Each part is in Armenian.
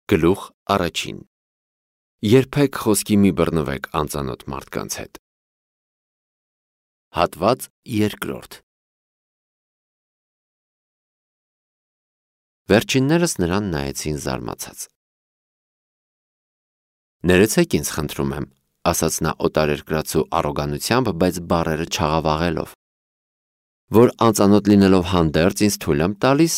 Գլուխ առաջին. Երբեք խոսքի մի բռնվեք անծանոթ մարդկանց հետ։ Հատված երկրորդ. Վերջիններս նրան նայեցին զարմացած։ Ներեցեք ինձ, խնդրում եմ, ասաց նա օտարերկրացու առոգանությամբ, բայց բառերը չաղավաղելով, որ անծանոթ լինելով հանդերձ ինձ թույլ եմ տալիս,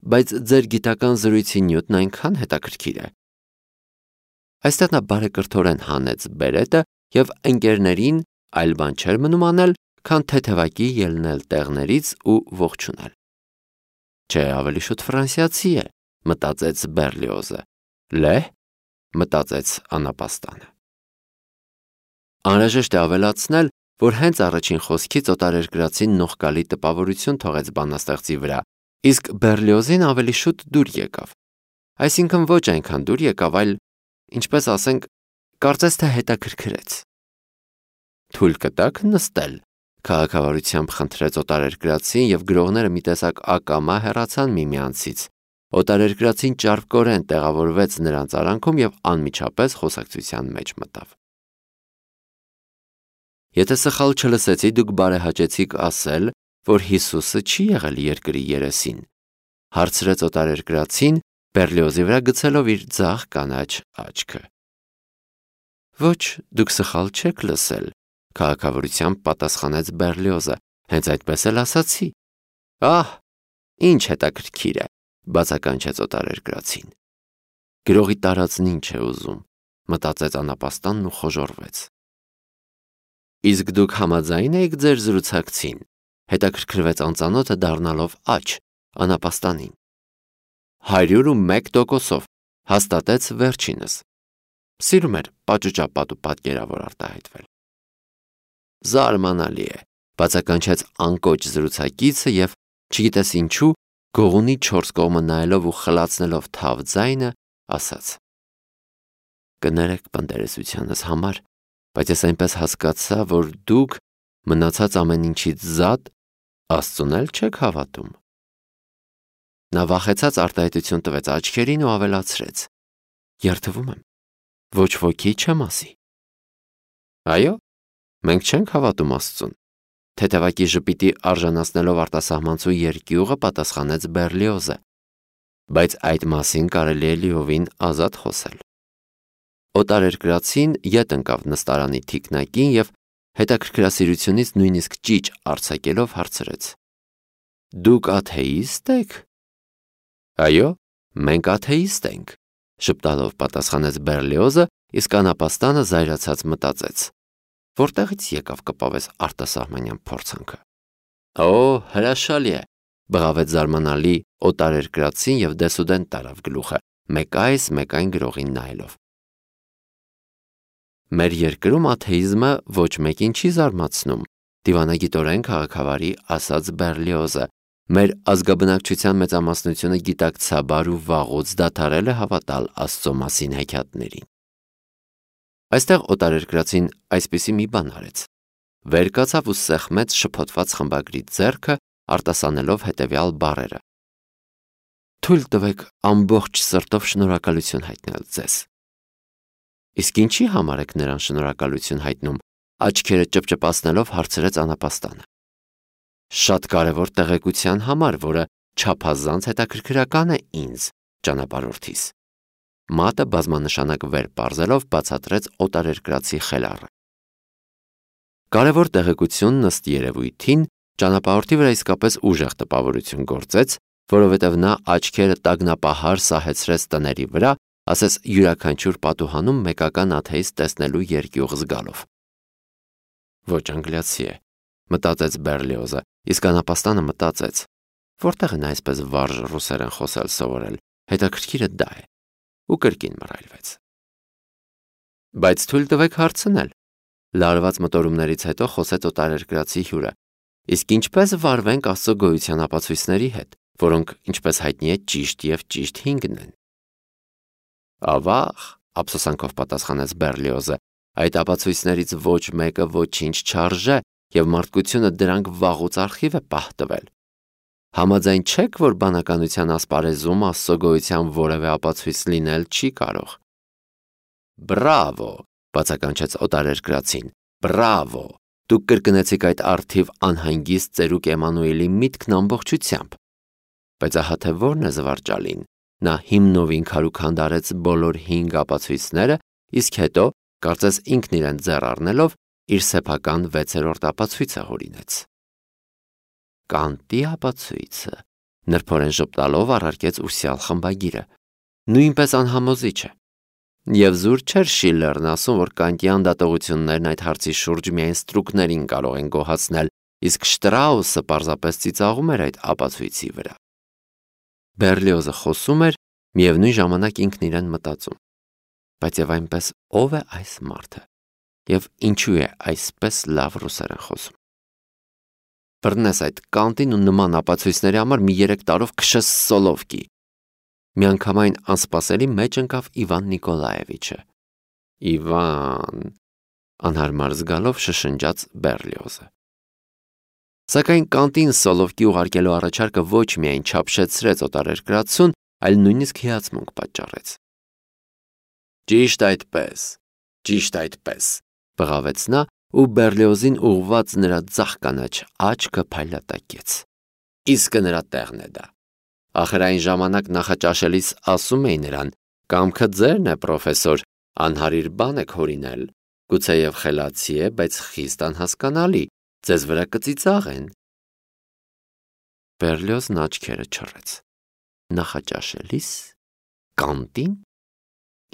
բայց ձեր գիտական զրույցի նյութն այնքան հետաքրքիր է։ Այստեղ նա բարեկրթորեն հանեց բերետը և ընկերներին այլ բան չէր մնում անել, քան թեթևակի ելնել տեղներից ու ողջունել։ Չէ, ավելի շուտ ֆրանսիացի է, մտածեց Բերլիոզը։ Լեհ, մտածեց անապաստանը։ Անհրաժեշտ է ավելացնել, որ հենց առաջին խոսքից օտարերկրացին նողկալի տպավորություն թողեց բանաստեղծի վրա, իսկ Բերլիոզին ավելի շուտ դուր եկավ։ Այսինքն ոչ այնքան դուր եկավ, այլ, ինչպես ասենք, կարծես թե հետաքրքրեց։ Թույլ կտաք նստել, քաղաքավարությամբ խնդրեց օտարերկրացին և գրողները մի տեսակ ակամա հեռացան միմյանցից։ Օտարերկրացին ճարպկորեն տեղավորվեց նրանց արանքում և անմիջապես խոսակցության մեջ մտավ։ Եթե սխալ չլսեցի, դուք բարեհաճեցիք ասել, որ Հիսուսը չի եղել երկրի երեսին, հարցրեց օտարերկրացին, Բերլիոզի վրա գցելով իր ձախ կանաչ աչքը։ Ոչ, դուք սխալ չեք լսել, քաղաքավարությամբ պատասխանեց Բերլիոզը, հենց այդպես էլ ասացի։ Ահ, ինչ հետաքրքիր է, բացականչեց օտարերկրացին։ Գրողի տարածն ինչ է ուզում, մտածեց անապաստանն ու խոժոռվեց։ Իսկ դուք համաձայն եք ձեր զրուցակցին, հետաքրքրվեց անծանոթը դառնալով աջ անապաստանին։ 101%-ով հաստատեց վերջինս։ Սիրում էր պաճուճապատ ու պատկերավոր արտահայտվել։ Զարմանալի է, բացականչեց անկոչ զրուցակիցը և, չգիտես ինչու, գողունի 4 կողմը նայելով ու խլացնելով թավ ձայնը, ասաց. Կներեք պնդերեսությանս համար, բայց ես այնպես հասկացա, որ դուք մնացած ամեն ինչից զատ Աստծուն էլ չեք հավատում։ Նա վախեցած արտահայտություն տվեց աչքերին ու ավելացրեց. Երդվում եմ, ոչ ոքի չեմ ասի։ Այո, մենք չենք հավատում Աստծուն, թեթևակի ժպիտի արժանացնելով արտասահմանցու երկյուղը պատասխանեց Բերլիոզը, բայց այդ մասին կարելի է լիովին ազատ խոսել։ Օտարերկրացին ետ ընկավ նստարանի թիկնակին և հետաքրքրասիրությունից նույնիսկ ճիչ արձակելով հարցրեց. Դուք աթեիստ եք։ Այո, մենք աթեիստ ենք, ժպտալով պատասխանեց Բերլիոզը, իսկ անապաստանը զայրացած մտածեց. Որտեղից եկավ կպավես արտասահմանյան փորձանքը։ Օ, հրաշալի է, բղավեց զարմանալի օտարերկրացին և դեսուդեն տարավ գլուխը, մեկ այս, մեկ այն գրողին նայելով։ Մեր երկրում աթեիզմը ոչ մեկին չի զարմացնում, դիվանագիտորեն քաղաքավարի ասաց Բերլիոզը, մեր ազգաբնակչության մեծամասնությունը գիտակցաբար ու վաղուց դադարել է հավատալ Աստծո մասին հեքիաթներին։ Այստեղ օտարերկրացին այսպիսի մի բան արեց. վեր կացավ ու սեղմեց շփոթված խմբագրի ձեռքը, արտասանելով հետևյալ բառերը. Թույլ տվեք ամբողջ սրտով շնորհակալություն հայտնել ձեզ։ Իսկ ինչի համար եք նրան շնորհակալություն հայտնում, աչքերը ճպճպացնելով հարցրեց անապաստանը։ Շատ կարևոր տեղեկության համար, որը չափազանց հետաքրքրական է ինձ, ճանապարհորդիս։ Մատը բազմանշանակ վեր պարզելով բացատրեց օտարերկրացի խելառը։ Կարևոր տեղեկությունն ըստ երևույթին ճանապարհորդի վրա իսկապես ուժեղ տպավորություն գործեց, որովհետև նա աչքերը տագնապահար սահեցրեց տների վրա, ասես յուրաքանչյուր պատուհանում մեկական աթեիստ տեսնելու երկյուղ զգալով։ Ոչ անգլիացի է, մտածեց Բերլիոզը, իսկ անապաստանը մտածեց. որտեղ են այսպես վարժ ռուսերեն խոսել սովորել, հետաքրքիրը դա է, ու կրկին մռայլվեց։ Բայց թույլ տվեք հարցնել, լարված մտորումներից հետո խոսեց օտարերկրացի հյուրը, իսկ ինչպես վարվենք Աստծո գոյության ապացույցների հետ, որոնք, ինչպես հայտնի է, ճիշտ և ճիշտ հինգն են։ Ավաղ, ափսոսանքով պատասխանեց Բերլիոզը, այդ ապացույցներից ոչ մեկը ոչինչ չարժե և մարդկությունը դրանք վաղուց արխիվ է պահտվել։ Համաձայն չեք, որ բանականության ասպարեզում Աստծո գոյության որևէ ապացույց լինել չի կարող։ Բրավո, բացականչեց օտարերկրացին, բրավո, դուք կրկնեցիք այդ առթիվ անհանգիստ ծերուկ Էմանուելի միտքն ամբողջությամբ։ Բայց ահա թե որն է զվարճալին, նա հիմնովին քարուքանդարեց բոլոր 5 ապացույցները, իսկ հետո, կարծես ինքն իրեն ձեռ առնելով, իր սեփական 6-րդ ապացույցը հորինեց։ Կանտի ապացույցը, նրբորեն ժպտալով առարկեց ուսյալ խմբագիրը, նույնպես անհամոզիչ է։ Եվ զուր չէր Շիլլերն ասում, որ կանտյան դատողություններն այդ հարցի շուրջ միայն ստրուկներին կարող են գոհացնել, իսկ Շտրաուսը պարզապես ծիծաղում էր այդ ապացույցի վրա։ Բերլիոզը խոսում էր, միևնույն ժամանակ ինքն իրեն մտածում. բայց եւ այնպես ով է այս մարդը, եւ ինչու է այսպես լավ ռուսերեն խոսում։ Բռնես այդ կանտին ու նման ապացույցների համար մի 3 տարով քշես Սոլովկի։ Միանգամայն անսպասելի մեջ ընկավ Իվան Նիկոլաևիչը։ Իվան, անհարմար զգալով շշնջաց Բերլիոզը։ Սակայն կանտին Սոլովկի ուղարկելու առաջարկը ոչ միայն չափշեցրեց օտարերկրացուն, այլ նույնիսկ հիացմունք պատճառեց։ Ճիշտ այդպես, բղավեց նա ու Բերլիոզին ուղված նրա ձախ կանաչ աչքը փայլատակեց։ Իսկը նրա տեղն է դա։ Ախր այն ժամանակ նախաճաշելիս ասում էի նրան. «Կամքը ձերն է, պրոֆեսոր, անհարիր բան եք հորինել, գուցեև խելացի է, բայց խիստ անհասկանալի, ձեզ վրա կծիծաղեն»։ Բերլիոզն աչքերը չռեց։ Նախաճաշելիս կանտին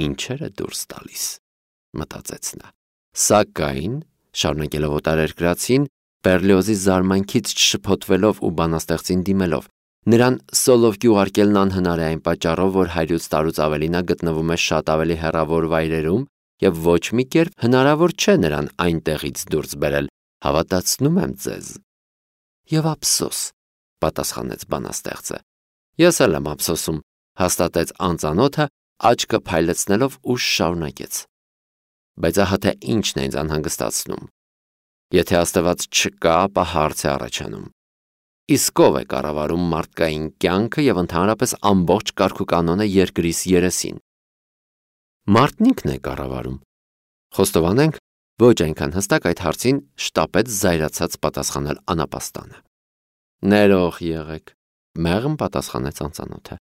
ինչեր է դուրս տալիս, մտածեց նա։ Սակայն, շարունակելով օտարերկրացին, Բերլիոզի զարմանքից չշփոթվելով ու բանաստեղծին դիմելով, նրան Սոլովկի ուղարկելն անհնար է այն պատճառով, որ 100 տարուց ավելի նա գտնվում է շատ ավելի հեռավոր վայրերում եւ ոչ մի կերպ հնարավոր չէ նրան այնտեղից դուրս բերել, հավատացնում եմ ձեզ։ Եվ ափսոս, պատասխանեց բանաստեղծը։ Ես էլ եմ ափսոսում, հաստատեց անծանոթը, աչքը փայլեցնելով ուշ շարունակեց։ Բայց ահա թե ինչն է ինձ անհանգստացնում։ Եթե Աստված չկա, ապա հարց է առաջանում։ Իսկ ով է կառավարում մարդկային կյանքը եւ ընդհանրապես ամբողջ կարգուկանոնը երկրիս երեսին։ Մարդն ինքն է կառավարում։ Խոստովանենք, ոչ այնքան հստակ այդ հարցին շտապեց զայրացած պատասխանել անապաստանը։ Ներող եղեք, մեղմ պատասխանեց անծանոթը։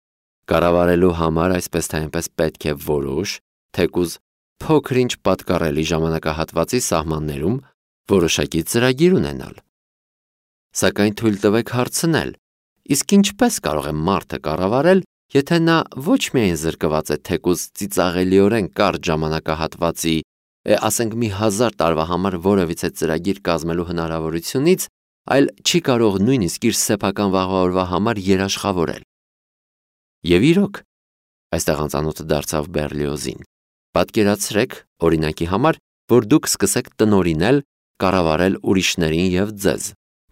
Կառավարելու համար այսպես թե այնպես պետք է որոշ, թեկուզ փոքր-ինչ պատկառելի ժամանակահատվածի սահմաններում որոշակի ծրագիր ունենալ։ Սակայն թույլ տվեք հարցնել, իսկ ինչպես կարող է մարդը կառավարել, եթե նա ոչ միայն զրկված է թեկուզ ծիծաղելիորեն կարճ ժամանակահատվածի, ասենք մի 1000 տարվա համար որևիցե ծրագիր կազմելու հնարավորությունից, այլ չի կարող նույնիսկ իր սեփական վաղվա օրվա համար երաշխավորել։ Եվ իրոք, այստեղ անծանոթը դարձավ Բերլիոզին, պատկերացրեք, օրինակի համար, որ դուք սկսեք տնօրինել, կառավարել ուրիշներին եւ ձեզ։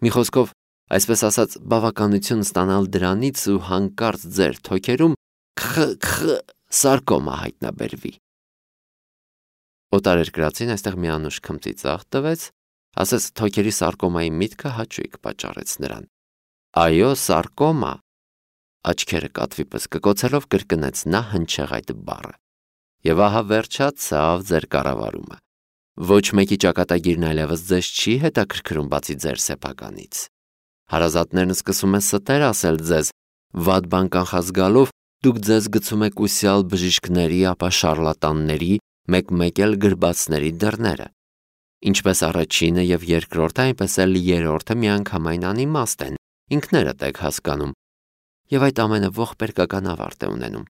Մի խոսքով, այսպես ասած, բավականություն ստանալ դրանից ու հանկարծ ձեր թոքերում սարկոմա հայտնաբերվի։ Օտարերկրացին այստեղ մի անուշ քմծիծաղ տվեց, ասես թոքերի սարկոմայի միտքը հաճույք պատճառեց նրան։ Այո, սարկոմա, աչքերը կատվի պես կկոցելով կրկնեց նա հնչեղ այդ բառը։ Եվ ահա վերջացավ ձեր կառավարումը։ Ոչ մեկի ճակատագիրն այլևս ձեզ չի հետաքրքրում բացի ձեր սեփականից։ Հարազատներն սկսում են ստեր ասել ձեզ, վատ բան կանխազգալով դուք ձեզ գցում եք ուսյալ բժիշկների, ապա շարլատանների, մեկ-մեկ էլ գրբացների դռները։ Ինչպես առաջինը եւ երկրորդը, այնպես էլ երրորդը միանգամայն անիմաստ են, ինքներդ եք հասկանում։ Եվ այդ ամենը ողբերգական ավարտ է ունենում։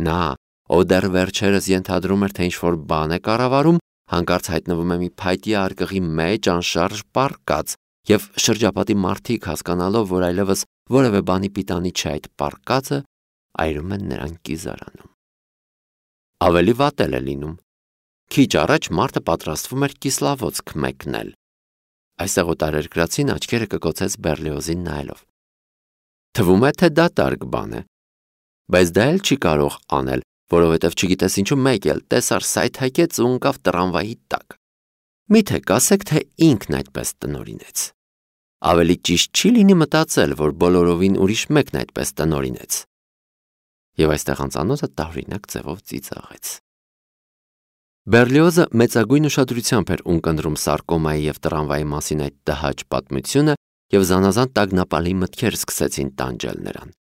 Նա, ով դեռ վերջերս ենթադրում էր, թե ինչ-որ բան է կառավարում, հանկարծ հայտնվում է մի փայտի արկղի մեջ անշարժ պառկած, եւ շրջապատի մարդիկ հասկանալով, որ այլևս որևէ բանի պիտանի չէ այդ պառկածը, այրում են նրան կիզարանում։ Ավելի վատ էլ է լինում։ Քիչ առաջ մարդը պատրաստվում էր կիսլավոցք մեկնել։ Այստեղ օտարերկրացին աչքերը կկոցեց Բերլիոզին նայելով։ Թվում է, թե դա դատարկ բան է, բայց դա էլ չի կարող անել, որովհետև չգիտես ինչու մեկ էլ տեսար սայթակեց ու ընկավ տրամվայի տակ։ Միթե կասեք, թե ինքն այդպես տնօրինեց։ Ավելի ճիշտ չի լինի մտածել, որ բոլորովին ուրիշ մեկն այդպես տնօրինեց։ Եվ այստեղ անծանոթը տարօրինակ ձևով ծիծաղեց։ Բերլիոզը մեծագույն ուշադրությամբ էր ունկնդրում սարկոմայի և տրամվայի մասին այդ տհաճ պատմությունը, և զանազան տագնապալի մտքեր սկսեցին տանջել նրան։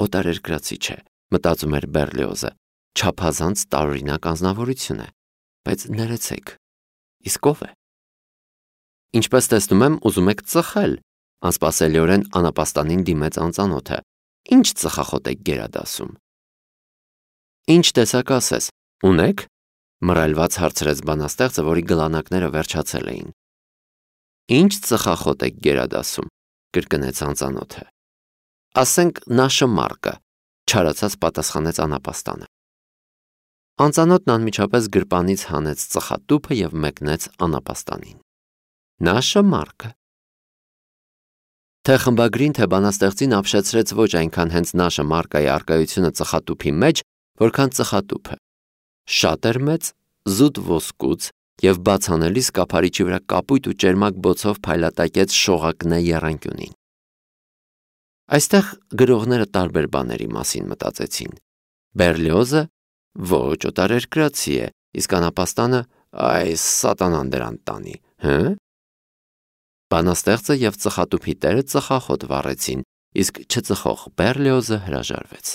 Օտարերկրացի չէ, մտածում էր Բերլիոզը, չափազանց տարօրինակ անձնավորություն է, բայց ներեցեք, իսկ ով է։ Ինչպես տեսնում եմ, ուզում եք ծխել, անսպասելիորեն անապաստանին դիմեց անծանոթը։ Ինչ ծխախոտ եք գերադասում։ Ինչ տեսակ ասես, ունեք, մռայլված հարցրեց բանաստեղծը, որի գլանակները վերջացել էին։ Ինչ ծխախոտ եք գերադասում, կրկնեց անծանոթը։ Ասենք նաշմարկը, չարացած պատասխանեց անապաստանը։ Անծանոթն անմիջապես գրպանից հանեց ծխատուփը և մեկնեց անապաստանին։ Նաշմարկը։ Թե խմբագրին, թե բանաստեղծին ապշեցրեց ոչ այնքան հենց նաշմարկայի առկայությունը ծխատուփի մեջ, որքան ծխատուփը։ Շատ էր մեծ, զուտ ոսկուց և բաց անելիս կափարիչի վրա կապույտ ու ճերմակ բոցով փայլատակեց շողակնե եռանկյունին։ Այստեղ գրողները տարբեր բաների մասին մտածեցին։ Բերլիոզը ոչ օտարերկրացի է, իսկ անապաստանը այս սատանան դրան տանի, հը՞։ Բանաստեղծը և ծխատուփի տերը ծխախոտ վառեցին, իսկ չծխող Բերլիոզը հրաժարվեց։